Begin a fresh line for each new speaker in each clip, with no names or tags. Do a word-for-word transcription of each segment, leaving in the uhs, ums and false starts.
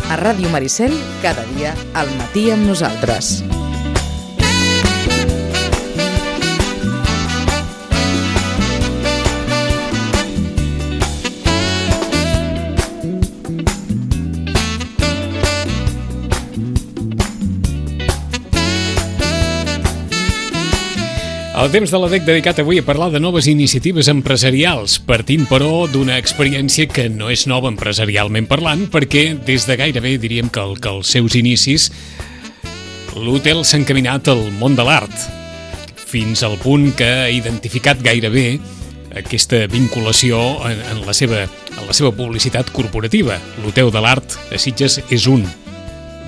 A Ràdio Maricel, cada dia al matí amb nosaltres.
El temps de l'A D E C dedicat avui a parlar de noves iniciatives empresarials, partint, però, d'una experiència que no és nova empresarialment parlant, perquè des de gairebé, diríem que, el, que els seus inicis, l'hotel s'ha encaminat al món de l'art, fins al punt que ha identificat gairebé aquesta vinculació en, en, la seva, en la seva publicitat corporativa. L'hotel de l'art a Sitges és un,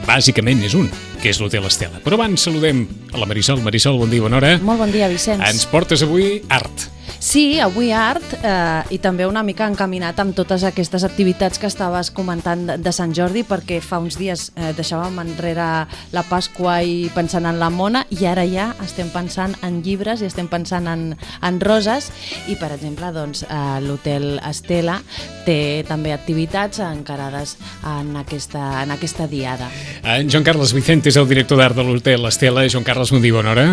bàsicament és un, que és l'Hotel Estela. Però abans saludem a la Marisol. Marisol, bon dia, bona hora.
Molt bon dia, Vicenç.
Ens portes avui art.
Sí, avui art eh, i també una mica encaminat amb totes aquestes activitats que estaves comentant de, de Sant Jordi, perquè fa uns dies eh, deixàvem enrere la Pasqua i pensant en la mona, i ara ja estem pensant en llibres i estem pensant en, en roses, i per exemple doncs, eh, l'Hotel Estela té també activitats encarades en aquesta, en aquesta diada.
En Joan Carles Vicente és el director d'art de l'Hotel Estela. Joan Carles, bon dia, bona hora.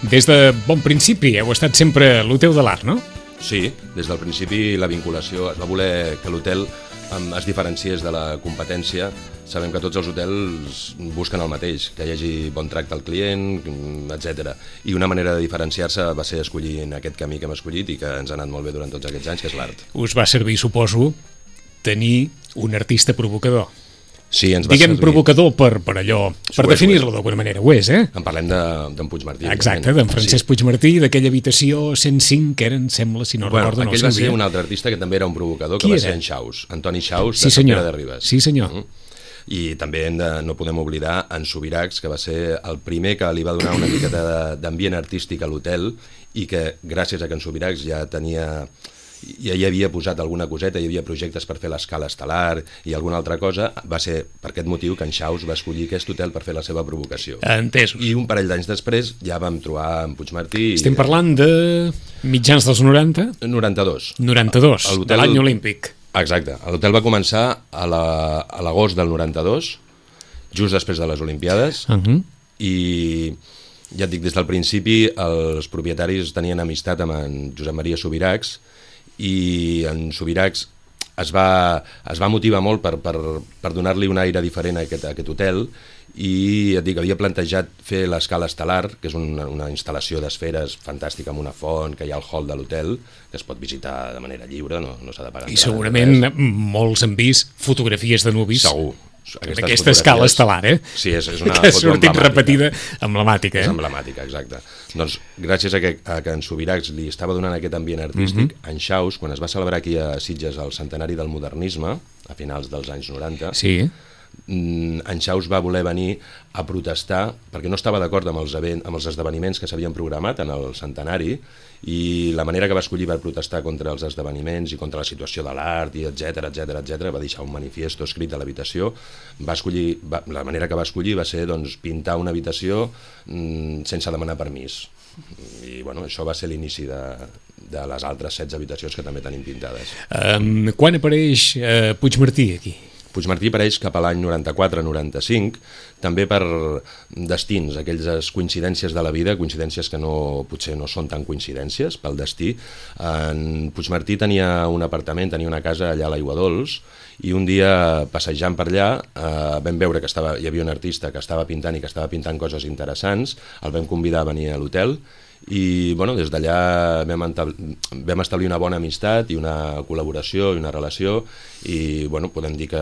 Des de bon principi heu estat sempre l'hotel de l'art, no?
Sí, des del principi la vinculació, es va voler que l'hotel es diferenciés de la competència. Sabem que tots els hotels busquen el mateix, que hi hagi bon tracte al client, etcètera. I una manera de diferenciar-se va ser escollir en aquest camí que hem escollit i que ens ha anat molt bé durant tots aquests anys, que és l'art.
Us va servir, suposo, tenir un artista provocador.
Sí, ens va
Diguem
servir.
Provocador per, per allò, per definir-lo d'alguna manera, ho és, eh?
En parlem d'en Puigmartí.
Exacte, d'en Francesc sí. Puigmartí, d'aquella habitació cent cinc, que eren, sembla, si no
bueno,
recordo,
aquell
no
va ser un altre artista que també era un provocador,
Qui
que va
era?
ser en Xaus, Antoni Xaus,
sí,
de Sant Pere de
senyor.
Ribes.
Sí, senyor.
Mm. I també hem de, no podem oblidar en Subirachs, que va ser el primer que li va donar una miqueta d'ambient artístic a l'hotel, i que gràcies a que en Subirachs ja tenia... ja hi havia posat alguna coseta, hi havia projectes per fer l'escala estel·lar i alguna altra cosa, va ser per aquest motiu que en Xaus va escollir aquest hotel per fer la seva provocació.
Entesos.
I un parell d'anys després ja vam trobar en Puigmartí...
Estem parlant de mitjans dels noranta?
noranta-dos.
noranta-dos, de l'any olímpic.
Exacte. L'hotel va començar a l'agost del noranta-dos, just després de les Olimpiades,
Uh -huh.
i ja et dic, des del principi els propietaris tenien amistat amb en Josep Maria Subirachs, i en Subirachs es va, es va motivar molt per, per, per donar-li un aire diferent a aquest, a aquest hotel, i et dic, havia plantejat fer l'escala estel·lar, que és una, una instal·lació d'esferes fantàstica amb una font que hi ha al hall de l'hotel, que es pot visitar de manera lliure, no, no s'ha de pagar.
I segurament molts han vist fotografies de nuvis.
Segur.
Aquestes aquesta escala estel·lar, eh?
Sí, és, és una
que ha
foto
sortit
emblemàtica.
repetida, emblemàtica, eh?
És emblemàtica, exacte. Doncs gràcies a que, a que en Subirachs li estava donant aquest ambient artístic, uh -huh. en Xaus, quan es va celebrar aquí a Sitges el centenari del modernisme, a finals dels anys noranta,
sí.
en Xaus va voler venir a protestar perquè no estava d'acord amb, els event, amb els esdeveniments que s'havien programat en el centenari, i la manera que va escollir per protestar contra els esdeveniments i contra la situació de l'art, i etcètera, etcètera, etcètera, va deixar un manifiesto escrit a l'habitació. Va escollir, va, la manera que va escollir va ser doncs, pintar una habitació mmm, sense demanar permís. I bueno, això va ser l'inici de, de les altres setze habitacions que també tenim pintades.
Um, quan apareix uh, Puigmartí aquí?
Puigmartí apareix cap a l'any noranta-quatre noranta-cinc, també per destins, aquelles coincidències de la vida, coincidències que no, potser no són tan coincidències pel destí. En Puigmartí tenia un apartament, tenia una casa allà a l'Aiguadols, i un dia passejant per allà eh, vam veure que estava, hi havia un artista que estava pintant i que estava pintant coses interessants, el vam convidar a venir a l'hotel, i bueno, des d'allà vam, vam establir una bona amistat i una col·laboració i una relació, i bueno, podem dir que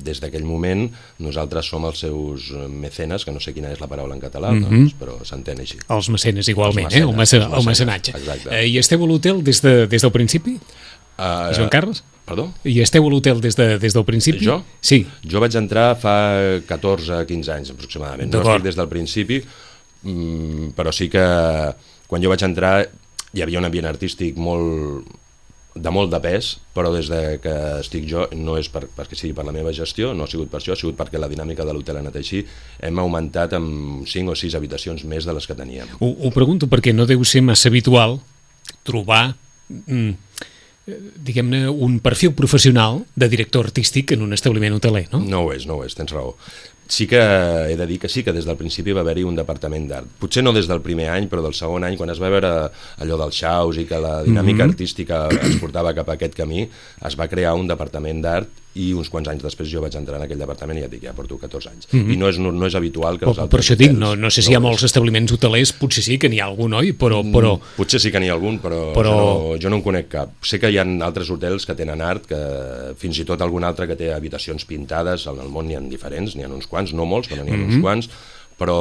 des d'aquell moment nosaltres som els seus mecenes, que no sé quina és la paraula en català, mm-hmm. doncs, però s'entén així.
Els mecenes igualment, els mecenes, eh? el, mece, el mecenatge.
Eh,
I esteu a l'hotel des, de, des del principi? Uh, Joan Carles?
Perdó?
I esteu a l'hotel des, de, des del principi?
Jo?
Sí.
Jo vaig entrar fa catorze quinze anys aproximadament, no estic des del principi, mm, però sí que quan jo vaig entrar hi havia un ambient artístic molt, de molt de pes, però des de que estic jo no és per, perquè sigui per la meva gestió, no ha sigut per això, ha sigut perquè la dinàmica de l'hotel ha anat així, hem augmentat amb cinc o sis habitacions més de les que teníem.
Ho, ho pregunto perquè no deu ser massa habitual trobar mm, diguem-ne, un perfil professional de director artístic en un establiment hoteler, no?
No ho és, no ho és, tens raó. Sí que he de dir que sí, que des del principi va haver-hi un departament d'art. Potser no des del primer any, però del segon any, quan es va veure allò dels xaus i que la dinàmica mm-hmm. artística ens portava cap a aquest camí, es va crear un departament d'art i uns quants anys després jo vaig entrar en aquell departament i ja dic, ja porto catorze anys. Mm-hmm. I no és, no, no és habitual que
però,
els altres...
Per això dic, no, no sé si no hi ha molts establiments hotelers, potser sí que n'hi ha algun, oi? Però, però...
Potser sí que n'hi ha algun, però, però... Jo, no, jo no en conec cap. Sé que hi ha altres hotels que tenen art, que fins i tot algun altre que té habitacions pintades, en el món n'hi ha diferents, n'hi ha uns quants, no molts, però n'hi ha mm-hmm. uns quants, però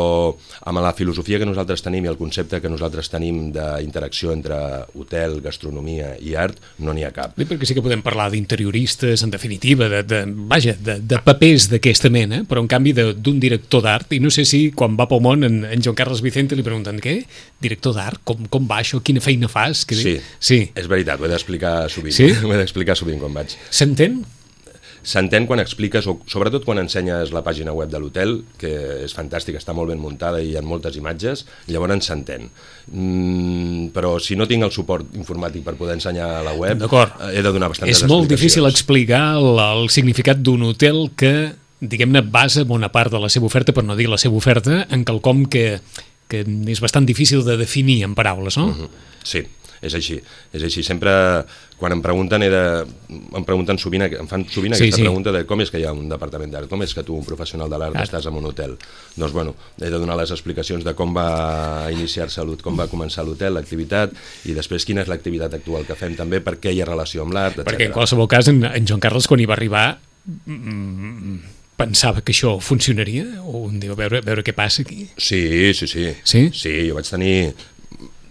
amb la filosofia que nosaltres tenim i el concepte que nosaltres tenim d'interacció entre hotel, gastronomia i art, no n'hi ha cap.
Bé, perquè sí que podem parlar d'interioristes, en definitiva, de, de, vaja, de, de papers d'aquesta mena, però en canvi d'un director d'art, i no sé si quan va pel món en, en Joan Carles Vicente li pregunten, què? Director d'art? Com, com va això? Quina feina fas? Que
sí,
sí,
és veritat, ho he d'explicar sovint.
Sí?
Ho he d'explicar sovint quan vaig.
S'entén?
S'entén quan expliques, o sobretot quan ensenyes la pàgina web de l'hotel, que és fantàstica, està molt ben muntada i hi ha moltes imatges, llavors s'entén. Mm, però si no tinc el suport informàtic per poder ensenyar la web, he de donar bastantes explicacions.
És molt difícil explicar el, el significat d'un hotel que, diguem-ne, basa bona part de la seva oferta, per no dir la seva oferta, en quelcom que, que és bastant difícil de definir en paraules, no?
Mm-hmm. Sí. És així, és així. Sempre, quan em pregunten, he de, em pregunten sovint, em fan sovint sí, aquesta sí. pregunta de com és que hi ha un departament d'art, com és que tu, un professional de l'art, ah. estàs en un hotel. Doncs, bueno, he de donar les explicacions de com va iniciar-se, com va començar l'hotel, l'activitat, i després quina és l'activitat actual que fem també, per què hi ha relació amb l'art, etcètera.
Perquè en qualsevol cas, en, en Joan Carles, quan hi va arribar, mm, pensava que això funcionaria? O un dia, a veure, a veure què passa aquí?
Sí, sí, sí.
Sí?
Sí, jo vaig tenir...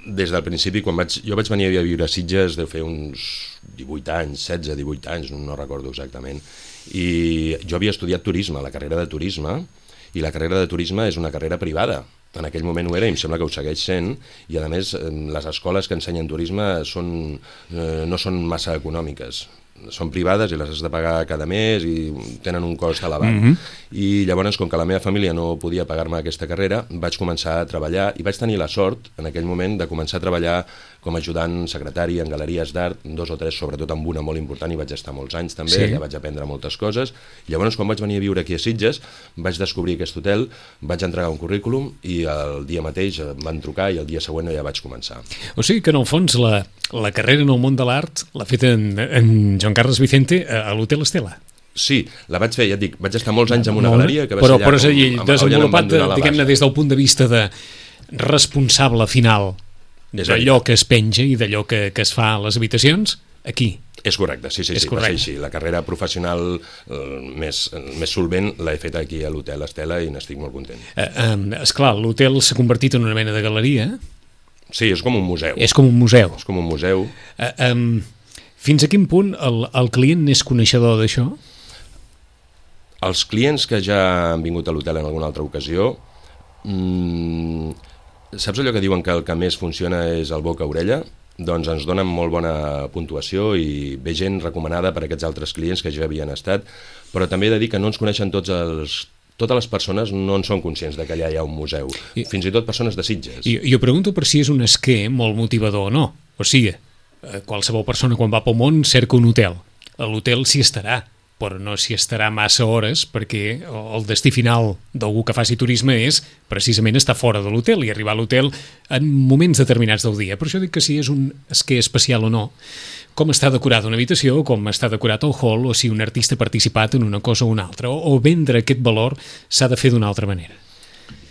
Des del principi, quan vaig, jo vaig venir a viure a Sitges, deu fer uns divuit anys, setze, divuit anys, no, no recordo exactament, i jo havia estudiat turisme, la carrera de turisme, i la carrera de turisme és una carrera privada. En aquell moment ho era i em sembla que ho segueix sent, i a més les escoles que ensenyen turisme són, eh, no són massa econòmiques. Són privades i les has de pagar cada mes i tenen un cost elevat. Mm-hmm. I llavors, com que la meva família no podia pagar-me aquesta carrera, vaig començar a treballar i vaig tenir la sort, en aquell moment, de començar a treballar com a ajudant secretari en galeries d'art, dos o tres, sobretot amb una molt important, i vaig estar molts anys també, sí. Ja vaig aprendre moltes coses. Llavors, quan vaig venir a viure aquí a Sitges, vaig descobrir aquest hotel, vaig entregar un currículum i el dia mateix em van trucar i el dia següent ja vaig començar.
O sigui que, en el fons, la, la carrera en el món de l'art l'ha fet en, en Joan Carles Vicente a l'Hotel Estela.
Sí, la vaig fer, ja et dic, vaig estar molts anys en una galeria que va
però,
ser allà...
Però és allà, desenvolupat, diguem-ne, des del punt de vista de responsable final d'allò que es penja i d'allò que, que es fa a les habitacions, aquí.
És correcte, sí, sí, sí, va ser així. La carrera professional eh, més, més solvent l'he fet aquí a l'Hotel Estela i n'estic molt content.
Eh, eh, esclar, l'hotel s'ha convertit en una mena de galeria.
Sí, és com un museu.
És com un museu.
És com un museu.
Eh, eh, fins a quin punt el, el client n'és coneixedor d'això?
Els clients que ja han vingut a l'hotel en alguna altra ocasió... Mmm, saps allò que diuen que el que més funciona és el boca-orella? Doncs ens donen molt bona puntuació i ve gent recomanada per aquests altres clients que ja havien estat, però també he de dir que no ens coneixen tots els... Totes les persones no en són conscients de que allà hi ha un museu, I, fins i tot persones de Sitges.
I, jo pregunto per si és un esquer molt motivador o no. O sigui, qualsevol persona quan va pel món cerca un hotel. A l'hotel s'hi estarà, però no s'hi estarà massa hores perquè el destí final d'algú que faci turisme és precisament estar fora de l'hotel i arribar a l'hotel en moments determinats del dia. Per això dic que si és un esquer especial o no, com està decorada una habitació, com està decorat el hall, o si un artista ha participat en una cosa o una altra, o, o vendre aquest valor s'ha de fer d'una altra manera.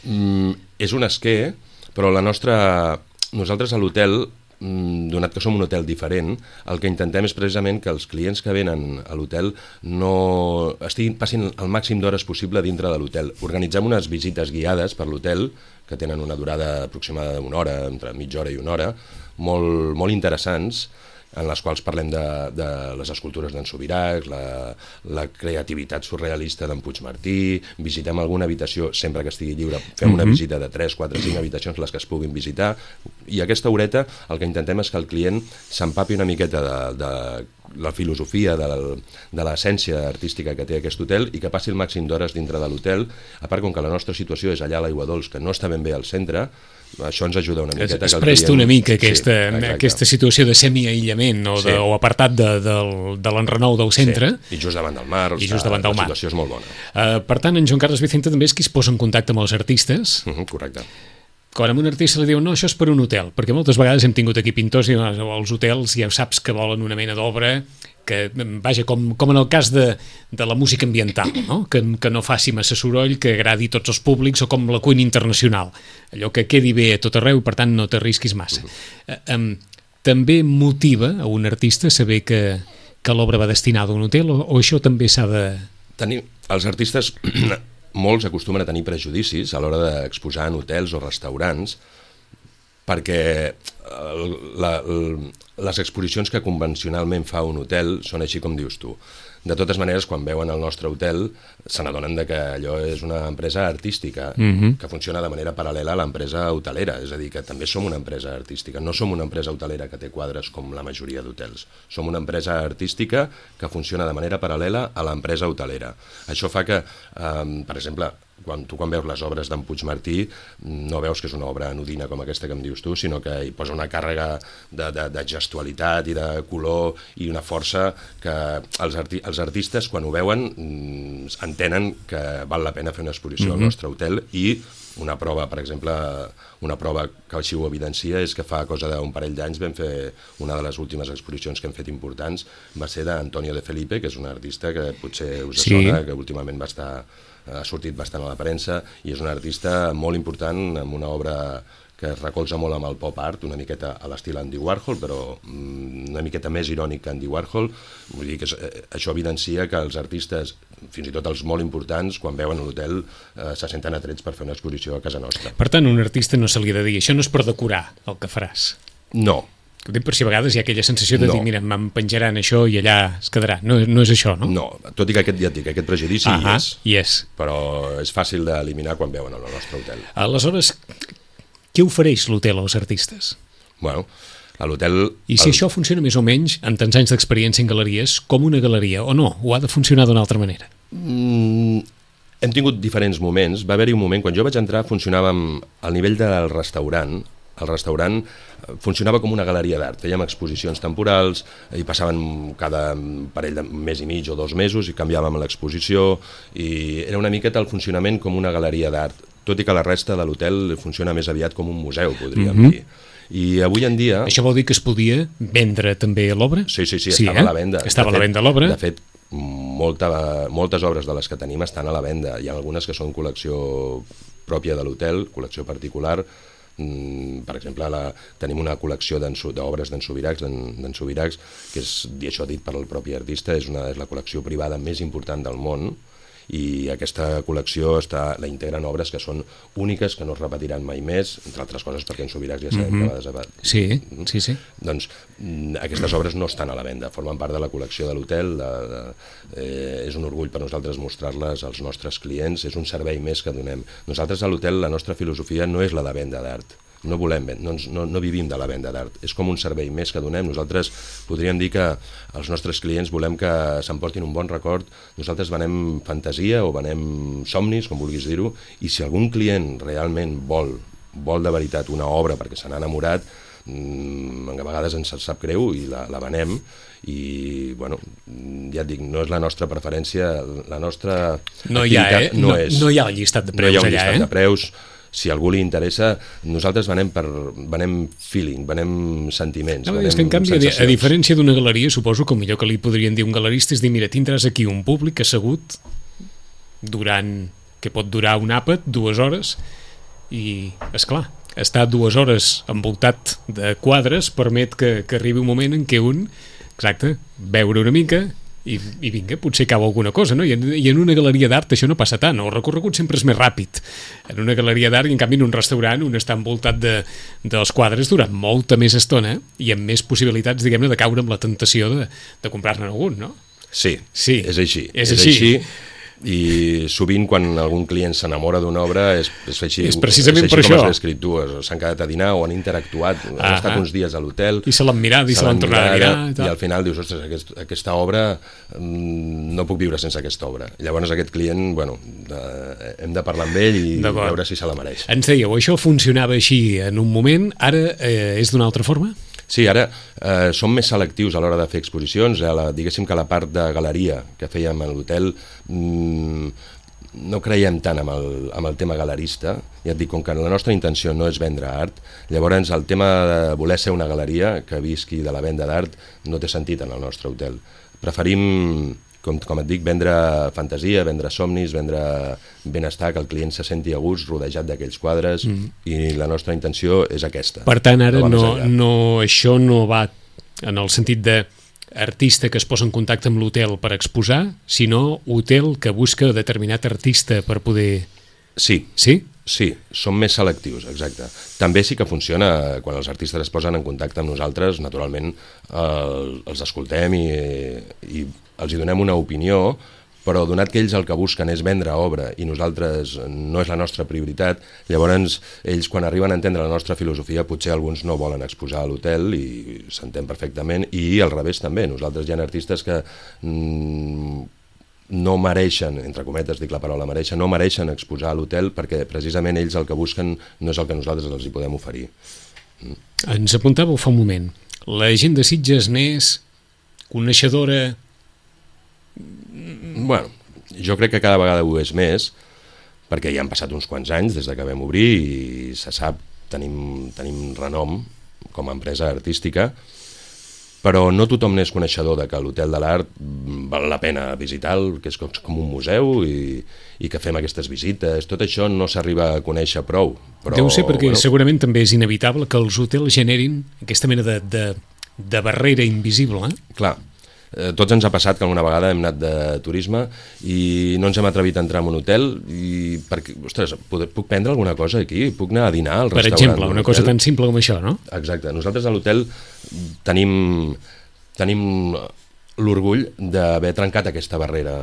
Mm, és un esquer, però la nostra... Nosaltres a l'hotel, donat que som un hotel diferent, el que intentem és precisament que els clients que venen a l'hotel no estiguin, passin el màxim d'hores possible dintre de l'hotel. Organitzem unes visites guiades per l'hotel, que tenen una durada aproximada d'una hora, entre mitja hora i una hora, molt, molt interessants, en les quals parlem de, de les escultures d'en Subirachs, la, la creativitat surrealista d'en Puigmartí, visitem alguna habitació sempre que estigui lliure, fem una visita de tres, quatre, cinc habitacions, les que es puguin visitar, i aquesta horeta el que intentem és que el client s'empapi una miqueta de, de la filosofia de l'essència artística que té aquest hotel i que passi el màxim d'hores dintre de l'hotel. A part, com que la nostra situació és allà a l'Aigua Dols, que no està ben bé al centre, això ens ajuda una miqueta.
Es, es presta una mica aquesta,
sí,
aquesta situació de semi-aïllament o, de, sí. o apartat de, de, de l'enrenou del centre.
Sí. I just davant del mar,
I just davant del
la
mar.
situació és molt bona.
Uh, per tant, en Joan Carles Vicente també és qui es posa en contacte amb els artistes.
Uh -huh, correcte.
Quan a un artista li diu no, això és per un hotel, perquè moltes vegades hem tingut aquí pintors i els hotels ja saps que volen una mena d'obra que, vaja, com, com en el cas de, de la música ambiental, no? Que, que no faci massa soroll, que agradi a tots els públics, o com la cuina internacional, allò que quedi bé a tot arreu i per tant no t'arrisquis massa. Uh, um, també motiva a un artista saber que, que l'obra va destinada a un hotel, o, o això també s'ha de...
Tenir, els artistes... molts acostumen a tenir prejudicis a l'hora d'exposar en hotels o restaurants perquè la, la, les exposicions que convencionalment fa un hotel són així com dius tu. De totes maneres, quan veuen el nostre hotel se n'adonen que allò és una empresa artística mm-hmm. que funciona de manera paral·lela a l'empresa hotelera, és a dir, que també som una empresa artística, no som una empresa hotelera que té quadres com la majoria d'hotels, som una empresa artística que funciona de manera paral·lela a l'empresa hotelera. Això fa que, eh, per exemple, quan tu quan veus les obres d'en Puigmartí no veus que és una obra anodina com aquesta que em dius tu, sinó que hi posa una càrrega de, de, de gestualitat i de color i una força que els, arti els artistes quan ho veuen entenen que val la pena fer una exposició mm-hmm. al nostre hotel. I una prova, per exemple, una prova que així ho evidencia és que fa cosa d'un parell d'anys vam fer una de les últimes exposicions que hem fet importants, va ser d'Antonio de Felipe, que és un artista que potser us
sí.
sona, que últimament va estar ha sortit bastant a la premsa i és un artista molt important amb una obra que es recolza molt amb el pop art, una miqueta a l'estil Andy Warhol, però una miqueta més irònic que Andy Warhol. Vull dir que això evidencia que els artistes, fins i tot els molt importants, quan veuen l'hotel eh, se senten atrets per fer una exposició a casa nostra.
Per tant, un artista no se li ha de dir això no és per decorar el que faràs.
No.
Ho dic per si a vegades hi ha aquella sensació de
no.
dir, mira, me'n penjaran això i allà es quedarà. No, no és això, no?
No, tot i que aquest, ja et dic, aquest prejudici
ah
hi és,
hi és,
però és fàcil d'eliminar quan veuen el nostre hotel.
Aleshores, què ofereix l'hotel als artistes?
Bueno, a l'hotel...
I si el... això funciona més o menys, en tants anys d'experiència en galeries, com una galeria, o no? O ha de funcionar d'una altra manera?
Mm, hem tingut diferents moments. Va haver-hi un moment, quan jo vaig entrar, funcionàvem al nivell del restaurant. El restaurant funcionava com una galeria d'art. Fèiem exposicions temporals, i passaven cada parell de mes i mig o dos mesos i canviàvem l'exposició, i era una miqueta el funcionament com una galeria d'art, tot i que la resta de l'hotel funciona més aviat com un museu, podríem mm-hmm. dir. I avui en dia...
Això vol dir que es podia vendre també l'obra?
Sí, sí, sí, estava sí, eh? a la venda.
Estava
de
a la venda l'obra?
De fet, molta, moltes obres de les que tenim estan a la venda. Hi ha algunes que són col·lecció pròpia de l'hotel, col·lecció particular. Per exemple, la, tenim una col·lecció d'obres d'en Subirachs, d'en Subirachs, que és, i això dit per el propi artista, és, una, és la col·lecció privada més important del món, i aquesta col·lecció està, la integren obres que són úniques, que no es repetiran mai més, entre altres coses perquè en Subirachs ja sabem mm-hmm. que va desaparecer.
Sí, sí, sí.
Doncs aquestes obres no estan a la venda, formen part de la col·lecció de l'hotel, eh, és un orgull per nosaltres mostrar-les als nostres clients, és un servei més que donem. Nosaltres a l'hotel la nostra filosofia no és la de venda d'art, no volem, no, no, no vivim de la venda d'art, és com un servei més que donem. Nosaltres podríem dir que els nostres clients volem que s'emportin un bon record, nosaltres venem fantasia o venem somnis, com vulguis dir-ho, i si algun client realment vol, vol de veritat una obra perquè se n'ha enamorat, mmm, a vegades ens sap greu i la, la venem, i bueno, ja et dic, no és la nostra preferència, la nostra
no hi ha, eh?
no,
no,
és,
no hi ha el llistat de preus
no hi ha un
allà,
llistat
eh?
de preus. Si a algú li interessa, nosaltres venem per venem feeling, venem sentiments,
no,
venem
és que en canvi,
sensacions.
A diferència d'una galeria, suposo que el millor que li podrien dir un galerista és dir, mira, tindràs aquí un públic assegut durant, que pot durar un àpat, dues hores, i, esclar, estar dues hores envoltat de quadres permet que, que arribi un moment en què un, exacte, veure una mica i, i vinga, potser cau alguna cosa, no? I en, i en una galeria d'art això no passa tant, el recorregut sempre és més ràpid en una galeria d'art, i en canvi en un restaurant un està envoltat de, dels quadres durant molta més estona i amb més possibilitats, diguem-ne, de caure amb la tentació de, de comprar-ne algun, no?
Sí,
sí,
és així.
És, és així. així.
I sovint quan algun client s'enamora d'una obra és, és així,
és precisament
és així
per
com
això.
has descrit tu, s'han quedat a dinar o han interactuat, han
Ah,
estat
ah.
uns dies a l'hotel
I se l'han mirat i se l'han tornat a mirar i tal.
i al final dius, ostres, aquest, aquesta obra mm, no puc viure sense aquesta obra. Llavors aquest client, bueno, eh, hem de parlar amb ell i veure si se la mereix.
Ens dèieu, això funcionava així en un moment, ara eh, és d'una altra forma?
Sí, ara eh, som més selectius a l'hora de fer exposicions. A la, diguéssim que la part de galeria que fèiem a l'hotel mmm, no creiem tant amb el, amb el tema galerista. Ja et dic, com que la nostra intenció no és vendre art, llavors el tema de voler ser una galeria que visqui de la venda d'art no té sentit en el nostre hotel. Preferim, com, com et dic, vendre fantasia, vendre somnis, vendre benestar, que el client se senti a gust, rodejat d'aquells quadres, mm. i la nostra intenció és aquesta.
Per tant, ara
no,
no, no, això no va en el sentit de artista que es posa en contacte amb l'hotel per exposar, sinó hotel que busca determinat artista per poder...
Sí.
Sí?
Sí, som més selectius, exacte. També sí que funciona quan els artistes es posen en contacte amb nosaltres, naturalment eh, els escoltem i, i els hi donem una opinió, però donat que ells el que busquen és vendre obra i nosaltres no és la nostra prioritat, llavors ells quan arriben a entendre la nostra filosofia potser alguns no volen exposar a l'hotel i s'entén perfectament, i al revés també. Nosaltres hi ha artistes que mm, no mereixen, entre cometes dic la paraula mereixen, no mereixen exposar a l'hotel perquè precisament ells el que busquen no és el que nosaltres els hi podem oferir. Mm.
Ens apuntàveu fa un moment, la gent de Sitges n'és coneixedora...
Bueno, jo crec que cada vegada ho és més, perquè ja han passat uns quants anys des de que vam obrir i se sap, tenim, tenim renom com a empresa artística, però no tothom n'és coneixedor de que l'Hotel de l'Art val la pena visitar, que és com un museu i, i que fem aquestes visites. Tot això no s'arriba a conèixer prou. Però,
Deu ser perquè
bueno,
segurament també és inevitable que els hotels generin aquesta mena de, de, de barrera invisible. Eh?
Clar, eh, tots ens ha passat que alguna vegada hem anat de turisme i no ens hem atrevit a entrar en un hotel i perquè, ostres, puc prendre alguna cosa aquí? Puc anar a dinar al
per
restaurant?
Per exemple, una cosa tan simple com això, no?
Exacte. Nosaltres a l'hotel tenim, tenim l'orgull d'haver trencat aquesta barrera.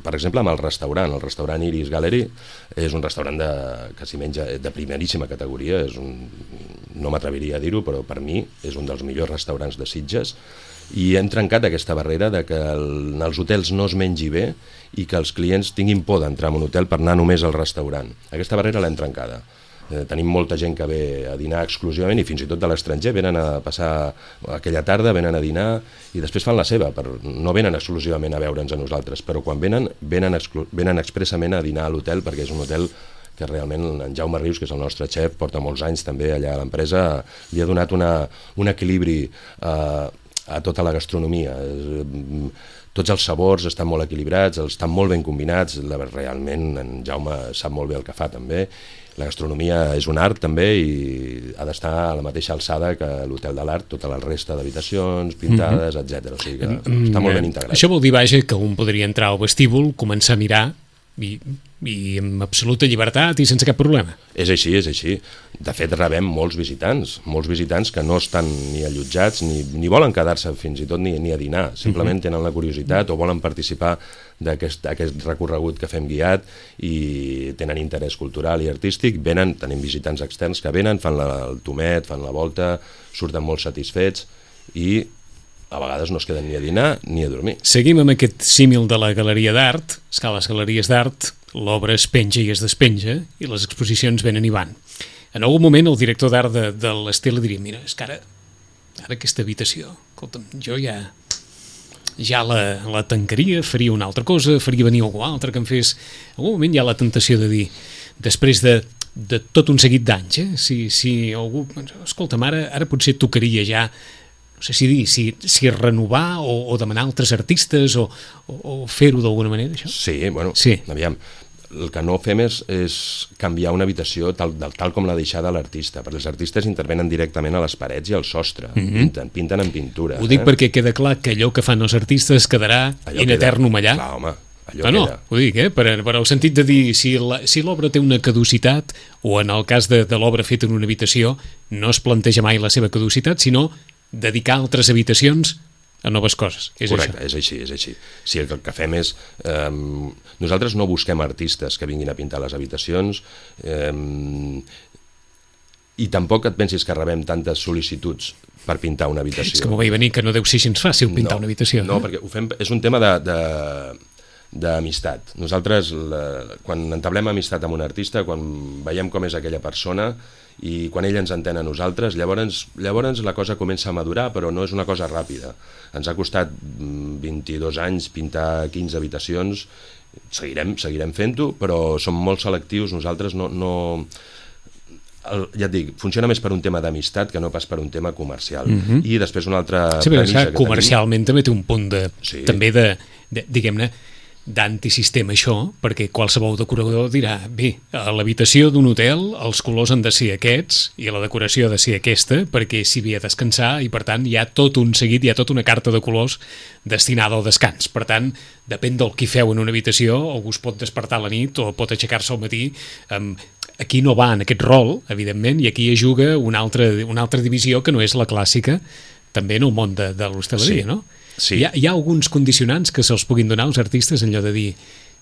Per exemple, amb el restaurant. El restaurant Iris Gallery és un restaurant de, que s'hi menja de primeríssima categoria. És un, no m'atreviria a dir-ho, però per mi és un dels millors restaurants de Sitges. I hem trencat aquesta barrera de que el, els hotels no es mengi bé i que els clients tinguin por d'entrar en un hotel per anar només al restaurant. Aquesta barrera l'hem trencada. Eh, tenim molta gent que ve a dinar exclusivament i fins i tot de l'estranger venen a passar aquella tarda, venen a dinar i després fan la seva, per, no venen exclusivament a veure'ns a nosaltres, però quan venen, venen, exclu, venen expressament a dinar a l'hotel perquè és un hotel que realment en Jaume Rius, que és el nostre xef, porta molts anys també allà a l'empresa, li ha donat una, un equilibri eh, a tota la gastronomia. Eh, tots els sabors estan molt equilibrats, estan molt ben combinats, la, realment en Jaume sap molt bé el que fa també. La gastronomia és un art també i ha d'estar a la mateixa alçada que l'Hotel de l'Art, tota la resta d'habitacions, pintades, mm-hmm. etcètera. O sigui que mm-hmm. està molt ben integrat.
Això vol dir, vaja, que un podria entrar al vestíbul, començar a mirar i, i amb absoluta llibertat i sense cap problema.
És així, és així. De fet, rebem molts visitants, molts visitants que no estan ni allotjats ni, ni volen quedar-se fins i tot ni, ni a dinar, simplement mm-hmm. tenen la curiositat o volen participar d'aquest aquest recorregut que fem guiat i tenen interès cultural i artístic, venen, tenim visitants externs que venen, fan la, el tomet, fan la volta, surten molt satisfets i a vegades no es queden ni a dinar ni a dormir.
Seguim amb aquest símil de la galeria d'art. És que a les galeries d'art l'obra es penja i es despenja i les exposicions venen i van. En algun moment el director d'art de, de l'Estela diria, mira, és que ara, ara aquesta habitació, escolta'm, jo ja... ja la, la tancaria, faria una altra cosa, faria venir algú altre que em fes... En algun moment hi ha la tentació de dir, després de, de tot un seguit d'anys, eh? si, si algú... Escolta'm, ara, ara potser tocaria ja, no sé si dir, si, si renovar o, o demanar altres artistes o, o, o fer-ho d'alguna manera, això?
Sí, bueno,
sí.
Aviam, el que no fem és, és canviar una habitació tal, tal com l'ha deixada l'artista, perquè els artistes intervenen directament a les parets i al sostre, mm-hmm. pinten, pinten en pintura.
Ho dic
eh?
perquè queda clar que allò que fan els artistes quedarà allò in eternum allà.
Clar, home, allò
ah, no,
queda.
Ho dic, eh? per, per el sentit de dir, si l'obra si té una caducitat, o en el cas de, de l'obra feta en una habitació, no es planteja mai la seva caducitat, sinó dedicar altres habitacions a noves coses. És
Correcte,
això.
és així, és així. Sí, el que fem és... Eh, nosaltres no busquem artistes que vinguin a pintar les habitacions eh, i tampoc et pensis que rebem tantes sol·licituds per pintar una habitació.
És que m'ho vaig venir, que no deu ser gens fàcil pintar
no,
una habitació.
No,
eh?
perquè ho fem, és un tema de... de d'amistat. Nosaltres, la, quan entablem amistat amb un artista, quan veiem com és aquella persona i quan ell ens entén a nosaltres, llavors, llavors la cosa comença a madurar, però no és una cosa ràpida. Ens ha costat vint-i-dos anys pintar quinze habitacions, seguirem, seguirem fent-ho, però som molt selectius, nosaltres no... no el, ja et dic, funciona més per un tema d'amistat que no pas per un tema comercial.
Mm-hmm.
I després una altra
sí,
premissa que
comercialment
tenim...
també té un punt de...
Sí.
també de, de diguem-ne, d'antisistema això, perquè qualsevol decorador dirà, bé, a l'habitació d'un hotel els colors han de ser aquests i la decoració ha de ser aquesta, perquè s'hi ve a descansar i per tant hi ha tot un seguit, hi ha tota una carta de colors destinada al descans. Per tant, depèn del que feu en una habitació, algú es pot despertar a la nit o pot aixecar-se al matí amb... Aquí no va en aquest rol, evidentment, i aquí hi juga una altra, una altra divisió que no és la clàssica, també en el món de, de l'hostaleria,
sí.
no?
Sí.
Hi ha, hi ha alguns condicionants que se'ls puguin donar als artistes, allò de dir,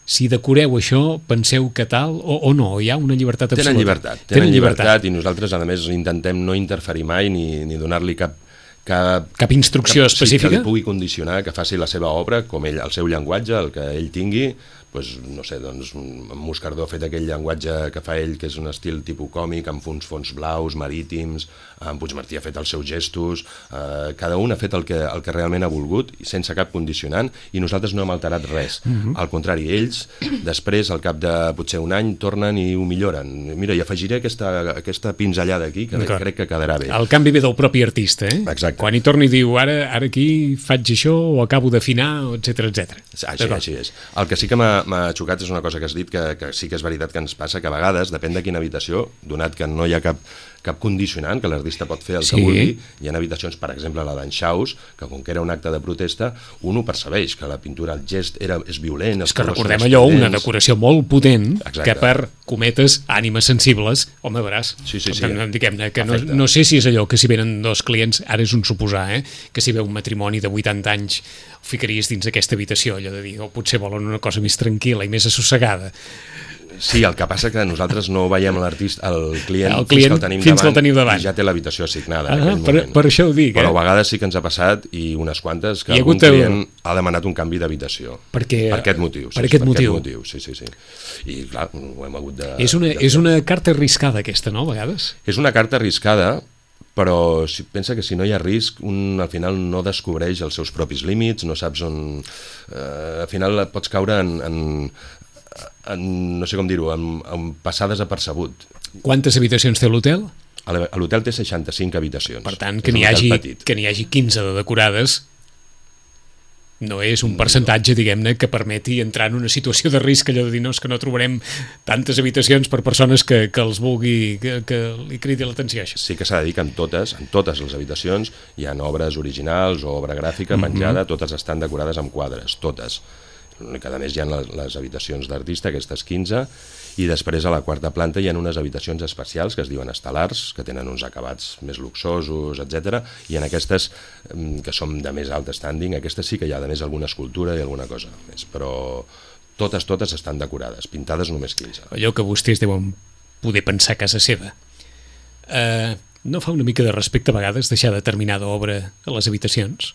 si decoreu això, penseu que tal, o, o no, hi ha una llibertat absoluta.
Tenen llibertat, tenen, tenen llibertat, llibertat, i nosaltres, a més, intentem no interferir mai ni, ni donar-li cap, cap...
Cap instrucció
cap,
específica?
Sí, que li pugui condicionar, que faci la seva obra, com ell, el seu llenguatge, el que ell tingui, pues, no sé, doncs, en Moscardó ha fet aquell llenguatge que fa ell, que és un estil tipus còmic, amb uns fons blaus, marítims, en Puigmartí ha fet els seus gestos, eh, cada un ha fet el que, el que realment ha volgut, sense cap condicionant, i nosaltres no hem alterat res. Mm-hmm. Al contrari, ells, després, al cap de potser un any, tornen i ho milloren. Mira, i afegiré aquesta, aquesta pinzellada aquí, que crec que quedarà bé.
El canvi ve del propi artista, eh?
Exacte.
Quan hi torni i diu, ara, ara aquí faig això, o acabo d'afinar, etcètera, etcètera.
Així, així és. El que sí que m'ha m'ha xocat és una cosa que has dit, que, que sí que és veritat que ens passa, que a vegades, depèn de quina habitació, donat que no hi ha cap, cap condicionant, que l'artista pot fer el
sí.
que vulgui, hi ha habitacions, per exemple, la d'en Xaus, que com que era un acte de protesta, un ho percebeix, que la pintura, el gest era, és violent.
És que recordem allò, una decoració molt potent,
exacte,
que per, cometes, ànimes sensibles, home, veràs,
sí, sí, sí.
diguem-ne, que no, no sé si és allò que si venen dos clients, ara és un suposar, eh, que si ve un matrimoni de vuitanta anys, ho ficaries dins aquesta habitació, allò de dir, o potser volen una cosa més tranquil·la i més assossegada.
Sí, el que passa que nosaltres no veiem l'artista, el client,
el client fins, que el tenim, fins
davant,
que el tenim davant
i ja té l'habitació assignada
ah,
en aquell
per,
moment.
Per això ho dic,
Però
eh?
a vegades sí que ens ha passat, i unes quantes, que algun
a...
client ha demanat un canvi d'habitació.
Perquè...
Per aquest motiu. Sí,
per aquest
per
motiu.
Aquest motiu. Sí, sí, sí. I clar, ho hem hagut de...
És una,
de
és una carta arriscada aquesta, no, a vegades?
És una carta arriscada, però si, pensa que si no hi ha risc, un al final no descobreix els seus propis límits, no saps on... Eh, al final pots caure en, en, en no sé com dir-ho, en, en passar desapercebut.
Quantes habitacions té l'hotel?
A l'hotel té seixanta-cinc habitacions.
Per tant, que n'hi hagi, que n'hi hagi quinze de decorades no és un percentatge, diguem-ne, que permeti entrar en una situació de risc, allò de dir, no, és que no trobarem tantes habitacions per persones que, que els vulgui, que, que li cridi l'atenció.
Sí que s'ha de dir que en totes, en totes les habitacions hi ha obres originals o obra gràfica penjada, mm-hmm. totes estan decorades amb quadres, totes. L'únic que a més hi ha les, les habitacions d'artista, aquestes quinze, i després a la quarta planta hi ha unes habitacions especials que es diuen estel·lars, que tenen uns acabats més luxosos, etcètera. I en aquestes, que som de més alt standing, aquestes sí que hi ha de més alguna escultura i alguna cosa més, però totes, totes estan decorades, pintades només quinze.
Allò que vostès deuen poder pensar a casa seva. Uh, no fa una mica de respecte a vegades deixar determinada obra a les habitacions?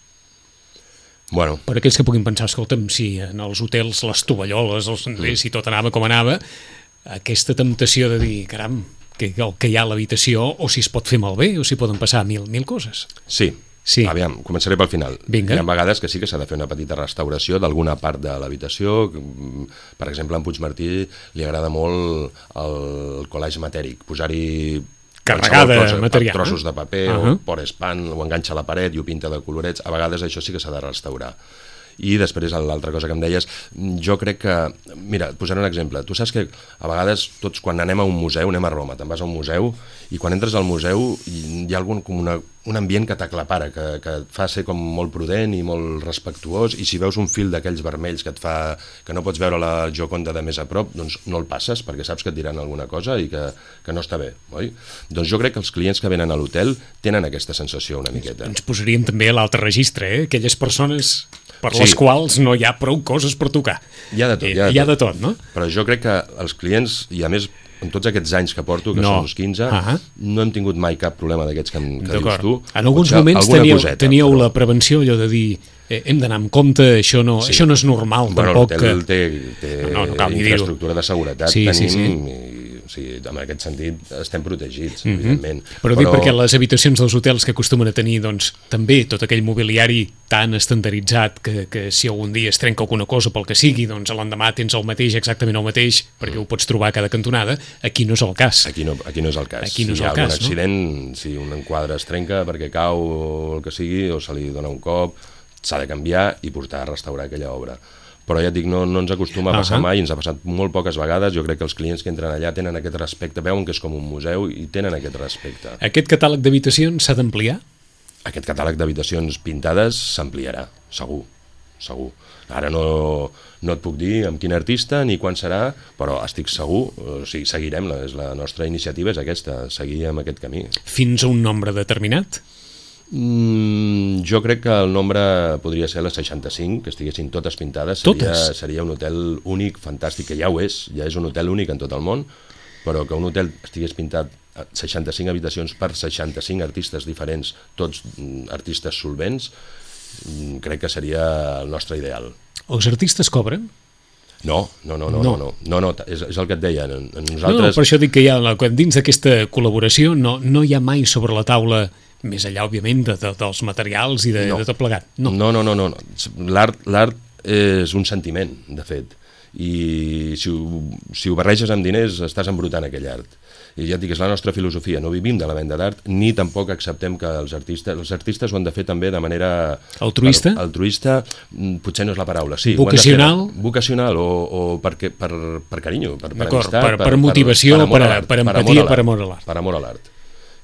Bueno.
Per aquells que puguin pensar, escolta'm, si en els hotels les tovalloles, els cenders, si tot anava com anava, aquesta temptació de dir, caram, que el que hi ha a l'habitació, o si es pot fer malbé, o si poden passar mil, mil coses.
Sí, sí. Aviam, començaré pel final.
Vinga.
Hi ha vegades que sí que s'ha de fer una petita restauració d'alguna part de l'habitació. Per exemple, en Puigmartí li agrada molt el collage matèric, posar-hi
carregada
trossos,
material,
trossos de paper,
uh-huh.
o porespan, o enganxa a la paret i ho pinta de colorets. A vegades això sí que s'ha de restaurar. I després l'altra cosa que em deies, jo crec que, mira, et posaré un exemple. Tu saps que a vegades tots quan anem a un museu, anem a Roma, te'n vas a un museu i quan entres al museu hi ha algun, com una, un ambient que t'aclapara, que, que et fa ser com molt prudent i molt respectuós, i si veus un fil d'aquells vermells que et fa que no pots veure la Gioconda de més a prop, doncs no el passes perquè saps que et diran alguna cosa i que, que no està bé, oi? Doncs jo crec que els clients que venen a l'hotel tenen aquesta sensació una miqueta.
Ens posaríem també a l'altre registre, eh? Aquelles persones per
Sí.
les quals no hi ha prou coses per tocar.
Hi ha de tot, hi ha de,
hi ha de
tot.
tot, no?
Però jo crec que els clients, i a més en tots aquests anys que porto, que
No.
són uns quinze,
Ah.
no hem tingut mai cap problema d'aquests que, em- que dius
D'acord.
tu.
En alguns
Potser
moments
alguna
teníeu,
coseta,
teníeu
però-
la prevenció, allò de dir eh, hem d'anar amb compte, això no,
Sí.
això no és normal,
Bueno,
tampoc.
l'hotel
Que...
té, té
No, no cal ni
infraestructura de seguretat,
Sí, sí,
tenim, i, o sigui, en aquest sentit estem protegits, mm -hmm. evidentment.
Però, dic perquè les habitacions dels hotels que acostumen a tenir doncs, també tot aquell mobiliari tan estandarditzat que, que si algun dia es trenca alguna cosa pel que sigui, doncs l'endemà tens el mateix, exactament el mateix, perquè mm. ho pots trobar a cada cantonada, aquí no és el cas.
Aquí no, aquí no és el cas.
Aquí no és
si hi ha
el
algun
cas, no?
accident, si un quadre es trenca perquè cau o el que sigui, o se li dona un cop, s'ha de canviar i portar a restaurar aquella obra. Però ja et dic, no, no ens acostuma a passar
Uh-huh.
mai, ens ha passat molt poques vegades. Jo crec que els clients que entren allà tenen aquest respecte, veuen que és com un museu i tenen aquest respecte.
Aquest catàleg d'habitacions s'ha d'ampliar?
Aquest catàleg d'habitacions pintades s'ampliarà, segur, segur. Ara no, no et puc dir amb quin artista ni quan serà, però estic segur, o sigui, seguirem, la, és la nostra iniciativa és aquesta, seguir amb aquest camí.
Fins a un nombre determinat?
Mm, jo crec que el nombre podria ser les seixanta-cinc, que estiguessin totes pintades. Seria,
Totes?
seria un hotel únic, fantàstic, que ja ho és, ja és un hotel únic en tot el món, però que un hotel estigués pintat seixanta-cinc habitacions per seixanta-cinc artistes diferents, tots mm, artistes solvents, mm, crec que seria el nostre ideal.
Els artistes cobren?
No, no, no, no,
No.
no, no, no, no és, és el que et deia. Nosaltres...
No, no, per això dic que hi ha, dins d'aquesta col·laboració no, no hi ha mai sobre la taula, més enllà, òbviament, de, de, dels materials i de,
No.
de tot plegat.
No, no, no, no, no. L'art, l'art és un sentiment, de fet, i si ho, si ho barreges amb diners estàs embrutant aquell art. I ja et dic, és la nostra filosofia, no vivim de la venda d'art, ni tampoc acceptem que els artistes, els artistes ho han de fer també de manera...
Altruista?
Per, altruista, mm, potser no és la paraula, sí.
Vocacional?
Ho han de fer, vocacional, o, o perquè, per, per carinyo, per, per
D'acord,
amistat,
per- per motivació,
amor
per-
a l'art,
per
amor
empatia,
a l'art,
per amor a l'art.
Per amor a l'art.